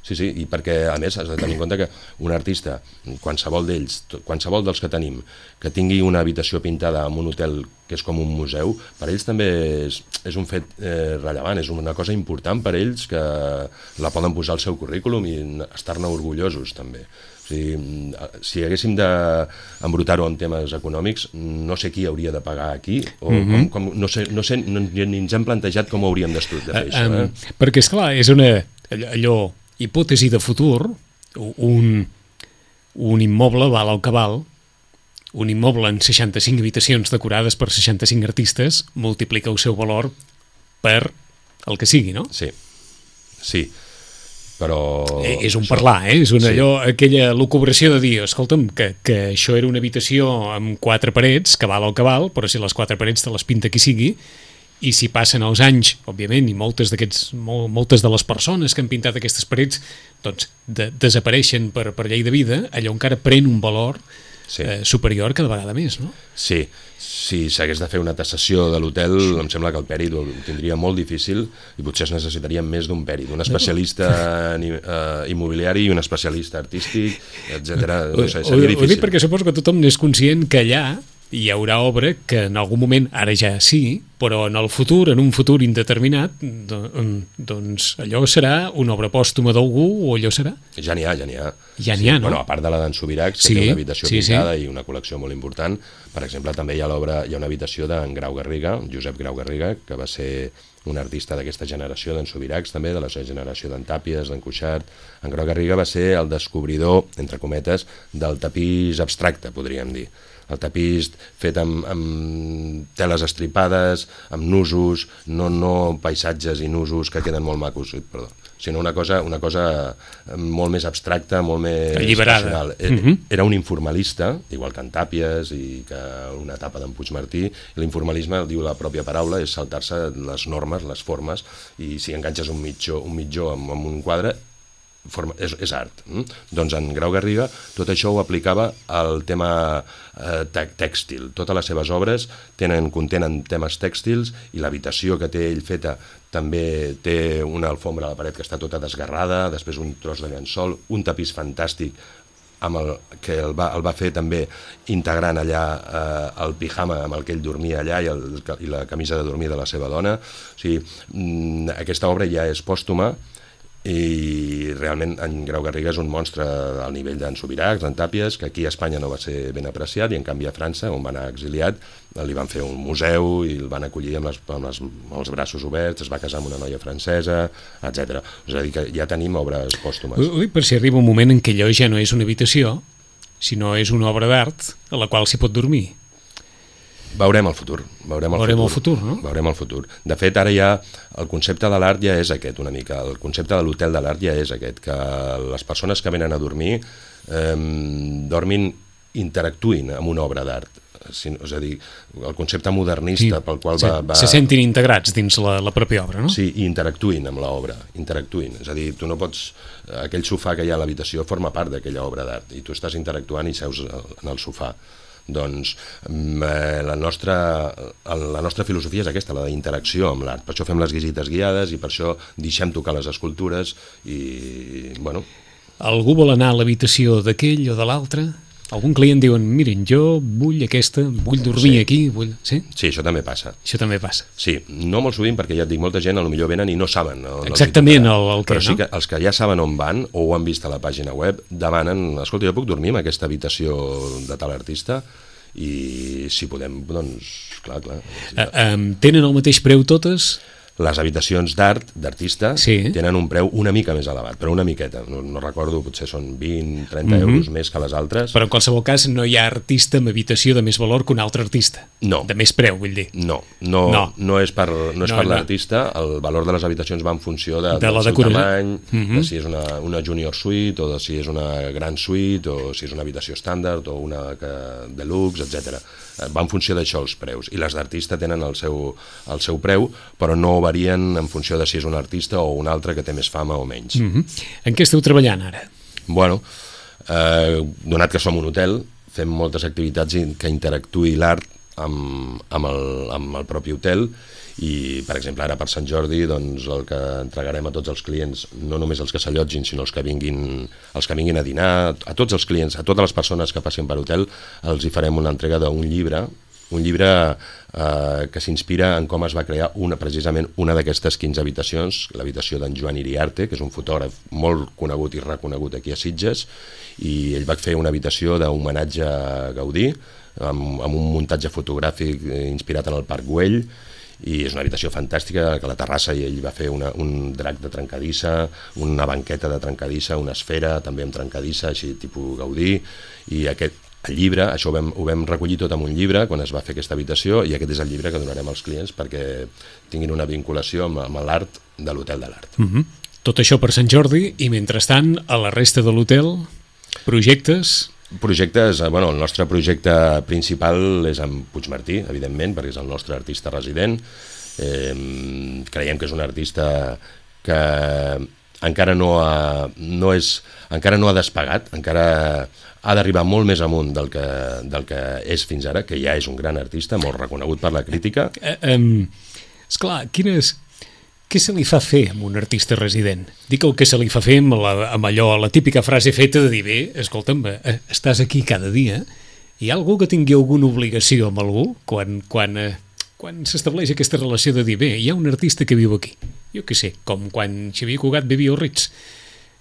Sí, sí, i perquè, a més, has de tenir en compte que un artista, qualsevol d'ells, to- qualsevol dels que tenim, que tingui una habitació pintada en un hotel que és com un museu, per ells també és, és un fet eh, rellevant, és una cosa important per ells que la poden posar al seu currículum i estar-ne orgullosos, també. O sigui, si haguéssim d'embrutar-ho en temes econòmics, no sé qui hauria de pagar aquí, o
Mhm.
com, com, no sé, no sé no, ni ens hem plantejat com ho hauríem d'estu- de fer això.
Um,
Eh?
perquè, esclar, és una allò, allò hipòtesi de futur, un, un immoble val el que val, un immoble en seixanta-cinc habitacions decorades per seixanta-cinc artistes multiplica el seu valor per el que sigui, no?
Sí, sí, però...
Eh, és un
això-
parlar, eh? És una,
Sí.
allò, aquella lucubració de dir, escolta'm, que, que això era una habitació amb quatre parets, que val el que val, però si les quatre parets te les pinta qui sigui, i si passen els anys, òbviament, i moltes d'aquests mol, moltes de les persones que han pintat aquestes parets doncs de, desapareixen per, per llei de vida, allò encara pren un valor
Sí.
eh, superior cada vegada més, no?
Sí, si s'hagués de fer una tassació de l'hotel, em sembla que el pèrit ho tindria molt difícil i potser es necessitaria més d'un pèrit, un especialista en, uh, immobiliari i un especialista artístic, etcètera. No sé,
ho,
seria
ho dic
difícil.
perquè suposo que tothom n'és conscient que allà hi haurà obra que en algun moment, ara ja sí, però en el futur, en un futur indeterminat, do, doncs allò serà una obra pòstuma d'algú o allò serà?
Ja n'hi ha, ja n'hi ha.
Ja n'hi ha, no?
Bueno, a part de la d'en Subirachs, que
Sí,
té una habitació
sí, sí.
pintada i una col·lecció molt important, per exemple, també hi ha l'obra, hi ha una habitació d'en Grau Garriga, Josep Grau Garriga, que va ser un artista d'aquesta generació, d'en Subirachs també, de la generació d'en Tàpies, d'en Cuixart. En Grau Garriga va ser el descobridor, entre cometes, del tapís abstracte, podríem dir. El tapís fet amb, amb teles estripades, amb nusos, no, no paisatges i nusos que queden molt macos, perdó, sinó una cosa, una cosa molt més abstracta, molt més
alliberada.
personal.
Uh-huh.
Era un informalista, igual que en Tàpies i que una etapa d'en Puigmartí, i l'informalisme, diu la pròpia paraula, és saltar-se les normes, les formes, i si enganxes un mitjó, un mitjó amb, amb un quadre, forma, és, és art. Mm? Doncs en Grau Garriga tot això ho aplicava al tema eh, tèxtil. Totes les seves obres tenen, contenen temes tèxtils i l'habitació que té ell feta també té una alfombra a la paret que està tota desgarrada, després un tros de llençol, un tapís fantàstic amb el, que el va, el va fer també integrant allà eh, el pijama amb el que ell dormia allà i, el, i la camisa de dormir de la seva dona. O sigui, mm, aquesta obra ja és pòstuma i realment en Grau Garriga és un monstre al nivell d'en Subirachs, d'en Tàpies, que aquí a Espanya no va ser ben apreciat i en canvi a França, on va anar exiliat, li van fer un museu i el van acollir amb, les, amb, les, amb els braços oberts, es va casar amb una noia francesa, etcètera. És a dir, que ja tenim obres pòstumes.
Ui, per si arriba un moment en què allò ja no és una habitació, sinó és una obra d'art a la qual s'hi pot dormir.
Veurem el futur. Veurem el
Veurem
futur.
el futur, no?
Veurem el futur. De fet, ara ja el concepte de l'art ja és aquest una mica. El concepte de l'hotel de l'art ja és aquest, que les persones que venen a dormir eh, dormin, interactuïn amb una obra d'art. És a dir, el concepte modernista sí, pel qual va, va...
Se sentin integrats dins la, la pròpia obra, no?
Sí, i interactuïn amb l'obra, interactuïn. És a dir, tu no pots... Aquell sofà que hi ha a l'habitació forma part d'aquella obra d'art i tu estàs interactuant i seus en el sofà. Doncs eh, la, nostra, la nostra filosofia és aquesta, la d'interacció amb l'art. Per això fem les visites guiades i per això deixem tocar les escultures i, bueno...
Algú vol anar a l'habitació d'aquell o de l'altre? Algun client diuen, miren, jo vull aquesta, vull dormir sí. aquí, vull... Sí?
Sí, això també passa.
Això també passa.
Sí, no molt sovint, perquè ja et dic, molta gent potser venen i no saben. On
exactament el, el que,
però sí
no?
que els que ja saben on van o ho han vist a la pàgina web, demanen, escolta, jo puc dormir en aquesta habitació de tal artista? I si podem, doncs, clar, clar.
Uh, um, tenen el mateix preu totes?
Les habitacions d'art, d'artista, sí. tenen un preu una mica més elevat, però una miqueta. No, no recordo, potser són vint, trenta mm-hmm. euros més que les altres.
Però en qualsevol cas no hi ha artista amb habitació de més valor que un altre artista?
No.
De més preu, vull dir?
No, no, no. no és per, no és no, per l'artista. El valor de les habitacions va en funció de,
de
del seu
decoració.
tamany,
mm-hmm.
de si és una, una junior suite o de si és una gran suite o si és una habitació estàndard o una que, deluxe, etcètera. Va en funció d'això els preus. I les d'artista tenen el seu, el seu preu, però no varien en funció de si és un artista o un altre que té més fama o menys.
Mm-hmm. En què esteu treballant ara?
Bueno, eh, donat que som un hotel, fem moltes activitats que interactuï l'art amb, amb, el, amb el propi hotel i, per exemple, ara per Sant Jordi doncs, el que entregarem a tots els clients, no només els que s'allotgin, sinó els que vinguin, els que vinguin a dinar, a tots els clients, a totes les persones que passin per hotel, els hi farem una entrega d'un llibre, un llibre eh, que s'inspira en com es va crear una, precisament una d'aquestes quinze habitacions, l'habitació d'en Joan Iriarte, que és un fotògraf molt conegut i reconegut aquí a Sitges, i ell va fer una habitació d'homenatge a Gaudí, amb, amb un muntatge fotogràfic inspirat en el Parc Güell, i és una habitació fantàstica, que a la terrassa i ell va fer una, un drac de trencadissa, una banqueta de trencadissa, una esfera també amb trencadissa, així tipus Gaudí, i aquest el llibre, això ho vam, ho vam recollir tot en un llibre quan es va fer aquesta habitació i aquest és el llibre que donarem als clients perquè tinguin una vinculació amb, amb l'art de l'hotel de l'art.
Mm-hmm. Tot això per Sant Jordi i mentrestant a la resta de l'hotel, projectes...
Projectes, bueno, el nostre projecte principal és en Puigmartí, evidentment, perquè és el nostre artista resident. Eh, creiem que és un artista que encara no ha, no és, encara no ha despegat, encara ha d'arribar molt més amunt del que, del que és fins ara, que ja és un gran artista, molt reconegut per la crítica.
Eh, eh, esclar, quines... Què se li fa fer amb un artista resident? Dic el que se li fa fer amb, la, amb allò, la típica frase feta de dir, bé, escolta'm, eh, estàs aquí cada dia, hi ha algú que tingui alguna obligació amb algú quan, quan, eh, quan s'estableix aquesta relació de dir, bé, hi ha un artista que viu aquí, jo què sé, com quan Xavier Cugat vivia al Ritz.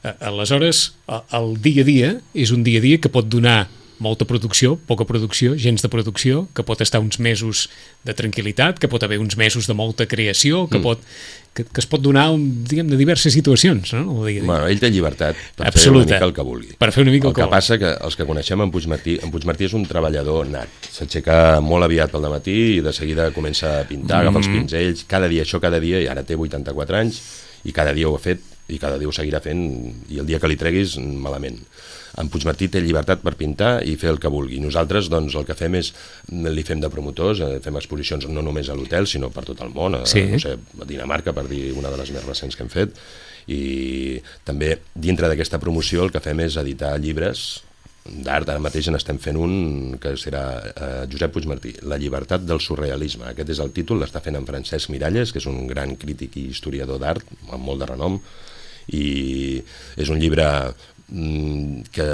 Eh, aleshores, el dia a dia és un dia a dia que pot donar molta producció, poca producció, gens de producció, que pot estar uns mesos de tranquil·litat, que pot haver uns mesos de molta creació, que, mm. pot, que, que es pot donar, diguem, de diverses situacions, no? El dia a dia.
Bueno, ell té llibertat per
Absoluta.
fer una mica el que vulgui.
Per fer una mica el,
el que, que passa que els que coneixem en Puigmartí, en Puigmartí és un treballador nat. S'aixeca molt aviat pel dematí i de seguida comença a pintar, mm. agafa els pinzells, cada dia, això cada dia, i ara té vuitanta-quatre anys, i cada dia ho ha fet i cada dia ho seguirà fent, i el dia que li treguis, malament. En Puigmartí té llibertat per pintar i fer el que vulgui. Nosaltres, doncs, el que fem és, li fem de promotors, fem exposicions no només a l'hotel, sinó per tot el món, a,
sí.
no sé, a Dinamarca, per dir una de les més recents que hem fet, i també dintre d'aquesta promoció el que fem és editar llibres d'art. Ara mateix n'estem fent un que serà eh, Josep Puigmartí, La llibertat del surrealisme. Aquest és el títol, l'està fent en Francesc Miralles, que és un gran crític i historiador d'art, amb molt de renom, i és un llibre mm, que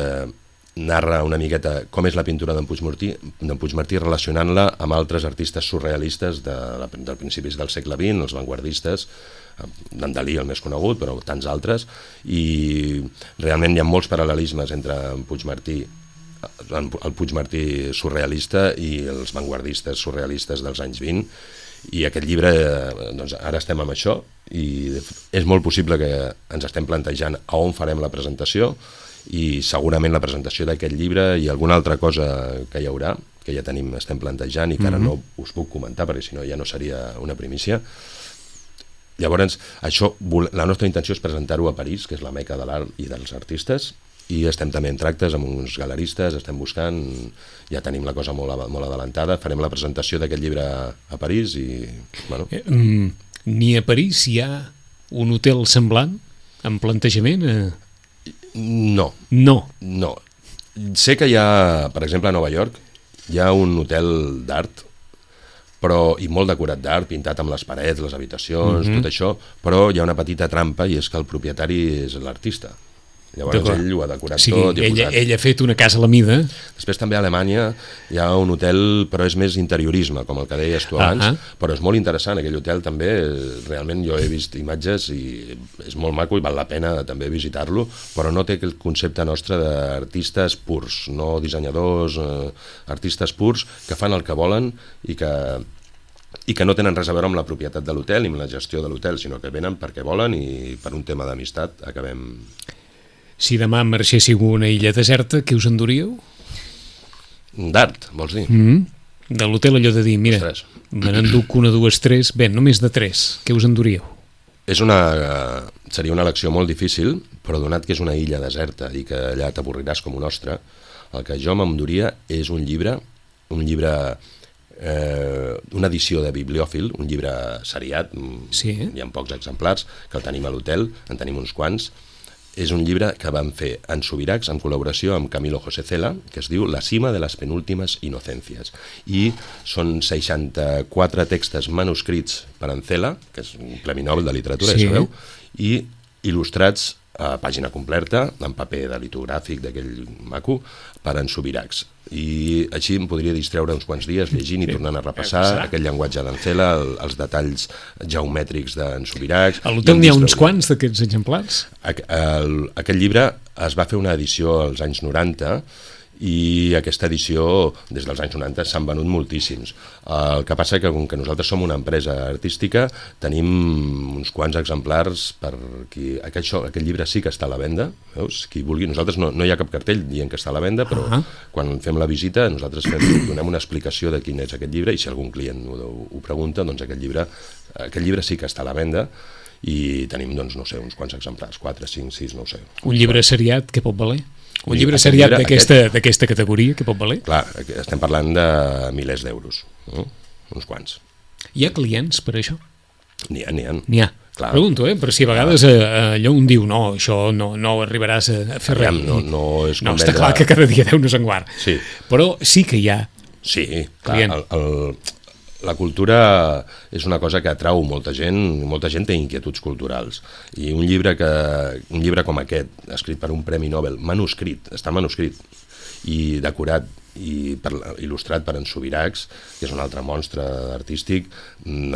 narra una miqueta com és la pintura d'en Puigmartí, d'en Puigmartí relacionant-la amb altres artistes surrealistes de, de principis del segle vint, els vanguardistes, d'en Dalí el més conegut, però tants altres, i realment hi ha molts paral·lelismes entre en Puigmartí, el Puigmartí surrealista i els vanguardistes surrealistes dels anys vint, i aquest llibre, doncs ara estem amb això, i és molt possible que ens estem plantejant a on farem la presentació, i segurament la presentació d'aquest llibre i alguna altra cosa que hi haurà, que ja tenim, estem plantejant i que ara no us puc comentar perquè si no ja no seria una primícia. Llavors, això, la nostra intenció és presentar-ho a París, que és la meca de l'art i dels artistes, i estem també en tractes amb uns galeristes, estem buscant, ja tenim la cosa molt, molt adelantada, farem la presentació d'aquest llibre a París i, bueno...
Eh, mm, ni a París hi ha un hotel semblant, en plantejament? Eh...
No.
No.
No. Sé que hi ha, per exemple, a Nova York, hi ha un hotel d'art, però, i molt decorat d'art, pintat amb les parets, les habitacions, mm-hmm. tot això, però hi ha una petita trampa i és que el propietari és l'artista. Llavors ell ho ha decorat
sí,
tot.
Ell, posat... ell ha fet una casa a la mida.
Després també a Alemanya hi ha un hotel, però és més interiorisme, com el que deies tu abans, uh-huh. però és molt interessant, aquell hotel també, realment jo he vist imatges i és molt maco i val la pena també visitar-lo, però no té el concepte nostre d'artistes purs, no dissenyadors, eh, artistes purs que fan el que volen i que i que no tenen res a veure amb la propietat de l'hotel ni amb la gestió de l'hotel, sinó que venen perquè volen i per un tema d'amistat acabem...
Si demà marxéssiu a una illa deserta, què us enduríeu?
D'art, vols dir?
Mm-hmm. De l'hotel allò de dir, mira, Ostres. me n'enduc una, dues, tres, bé, només de tres, què us enduríeu?
És una, seria una elecció molt difícil, però donat que és una illa deserta i que allà t'avorriràs com un ostre, el que jo m'enduria és un llibre, un llibre, eh, una edició de bibliòfil, un llibre seriat, sí. hi ha pocs exemplars, que el tenim a l'hotel, en tenim uns quants. És un llibre que vam fer en Subirachs en col·laboració amb Camilo José Cela, que es diu La cima de les penúltimes inocencias, i són seixanta-quatre textos manuscrits per en Cela, que és un Premi Nobel de literatura, sí. ja sabeu, i il·lustrats a pàgina completa, en paper de litogràfic d'aquell maco, per en Subirachs. I així em podria distreure uns quants dies llegint i sí. tornant a repassar sí. aquell llenguatge d'en Cela, el, els detalls geomètrics d'en Subirachs.
A l'hotel n'hi ha uns quants d'aquests exemplars?
Aqu el, aquest llibre es va fer una edició als anys noranta i aquesta edició, des dels anys noranta, s'han venut moltíssims. El que passa que, com que nosaltres som una empresa artística, tenim uns quants exemplars per qui... Aquest, aquest llibre sí que està a la venda, veus? Qui vulgui. Nosaltres no, no hi ha cap cartell dient que està a la venda, però uh-huh. quan fem la visita nosaltres fem, donem una explicació de quin és aquest llibre i si algun client ho, ho pregunta, doncs aquest llibre, aquest llibre sí que està a la venda i tenim, doncs, no sé, uns quants exemplars, quatre, cinc, sis, no ho sé.
Un llibre seriat, què pot valer? Un llibre seriat d'aquesta categoria, que pot valer?
Clar, estem parlant de milers d'euros, no? Uns quants.
Hi ha clients per això?
N'hi ha, n'hi ha.
N'hi ha. Clar. Pregunto, eh? Però si a vegades eh, allò un diu, no, això no, no arribaràs a fer res.
No, no, és
no està clar que cada dia Déu nos en guard.
Sí.
Però sí que hi ha
sí, clar, el, el, la cultura és una cosa que atrau molta gent, molta gent té inquietuds culturals, i un llibre, que, un llibre com aquest, escrit per un Premi Nobel, manuscrit, està manuscrit, i decorat, i per, il·lustrat per en Subirachs, que és un altre monstre artístic,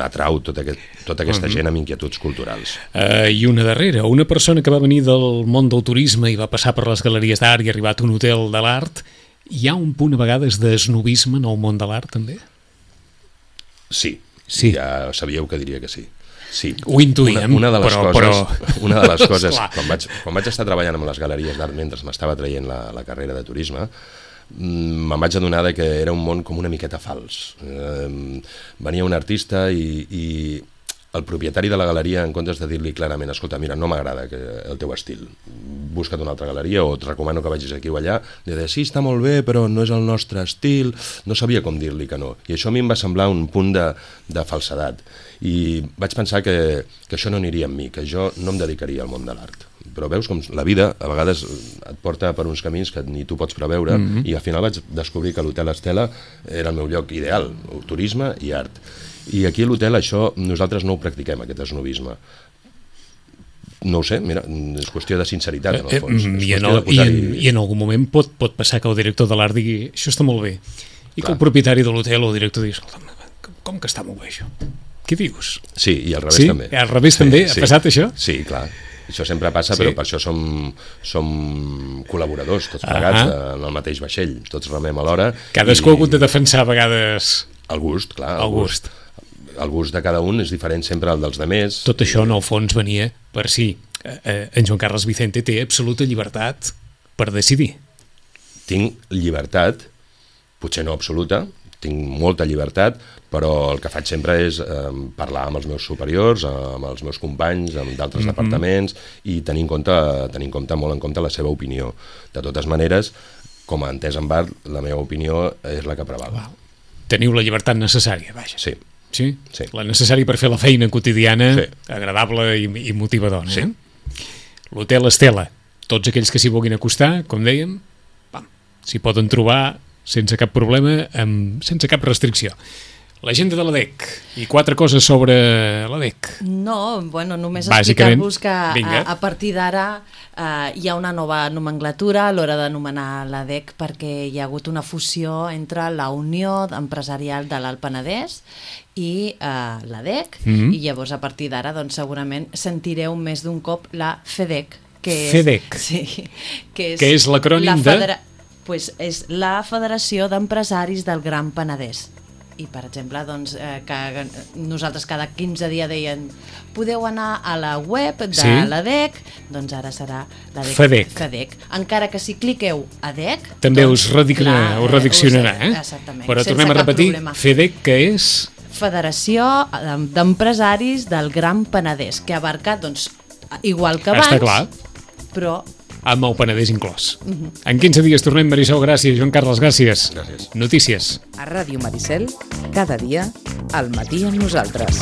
atrau tota, aquest, tota aquesta gent amb inquietuds culturals.
Uh, I una darrera, una persona que va venir del món del turisme i va passar per les galeries d'art i ha arribat a un hotel de l'art, hi ha un punt a vegades d'esnobisme en el món de l'art, també?
Sí,
sí,
ja sabíeu que diria que sí. Sí.
Ho intuïem,
una, una de les
però...
Coses,
però...
una de les coses, quan vaig, quan vaig estar treballant amb les galeries d'art mentre m'estava traient la, la carrera de turisme, me'n vaig adonar que era un món com una miqueta fals. Eh, venia un artista i, i el propietari de la galeria, en comptes de dir-li clarament, escolta, mira, no m'agrada el teu estil, busca't una altra galeria o et recomano que vagis aquí o allà, li deia, sí, està molt bé, però no és el nostre estil, no sabia com dir-li que no. I això a mi em va semblar un punt de, de falsedat. I vaig pensar que, que això no aniria amb mi, que jo no em dedicaria al món de l'art. Però veus com la vida a vegades et porta per uns camins que ni tu pots preveure, mm-hmm. i al final vaig descobrir que l'Hotel Estela era el meu lloc ideal, turisme i art. I aquí a l'hotel això nosaltres no ho practiquem, aquest esnovisme. No ho sé, mira, és qüestió de sinceritat en el fons.
I en, el, i, en, I en algun moment pot, pot passar que el director de l'art digui això està molt bé, i Clar. que el propietari de l'hotel o el director digui com, com que està molt bé això? Què dius?
Sí, i al revés
sí?
també.
Al revés sí, també? Ha
sí.
passat això?
Sí, clar. Això sempre passa, sí. però per això som, som col·laboradors, tots plegats, uh-huh. en el mateix vaixell, tots remem alhora.
Cadascú i... ha hagut de defensar a vegades...
El gust, clar.
El, el gust. gust.
El gust de cada un és diferent sempre al dels demés.
Tot això, en el fons, venia per si eh, en Joan Carles Vicente té absoluta llibertat per decidir.
Tinc llibertat, potser no absoluta, tinc molta llibertat, però el que faig sempre és eh, parlar amb els meus superiors, amb els meus companys, amb d'altres mm-hmm. departaments, i tenir en compte, tenir en compte, molt en compte la seva opinió. De totes maneres, com a entès en art, la meva opinió és la que preval.
Wow. Teniu la llibertat necessària, vaja.
Sí.
Sí?
Sí.
La necessària per fer la feina quotidiana,
sí.
agradable i, i motivadora.
Sí.
Eh? L'Hotel Estela, tots aquells que s'hi vulguin acostar, com dèiem, s'hi poden trobar sense cap problema, amb, sense cap restricció. L'agenda de l'A D E C i quatre coses sobre l'A D E C.
No, bueno, només
Bàsicament,
explicar-vos que a, a partir d'ara eh, hi ha una nova nomenclatura a l'hora d'anomenar l'A D E C, perquè hi ha hagut una fusió entre la Unió Empresarial de l'Alt Penedès i eh, l'A D E C, mm-hmm. i llavors a partir d'ara doncs, segurament sentireu més d'un cop la F E D E C, que és,
F E D E C,
sí, que és,
que és l'acrònim
la
de...
federa... pues és la Federació d'Empresaris del Gran Penedès. I, per exemple, doncs, eh, que nosaltres cada quinze dies deien podeu anar a la web de sí? l'A D E C, doncs ara serà l'A D E C.
F E D E C.
F E D E C. Encara que si cliqueu a D E C...
També
doncs,
us, radicarà,
clar,
us rediccionarà, eh?
Exactament.
Però
sense
tornem a repetir,
problema.
F E D E C, que és...
Federació d'Empresaris del Gran Penedès, que ha abarcat, doncs, igual que abans,
està clar.
Però...
amb el Penedès inclòs. Uh-huh. En quinze dies tornem, Marisol, gràcies. Joan Carles, gràcies.
Gràcies.
Notícies.
A Ràdio Maricel, cada dia, al matí amb nosaltres.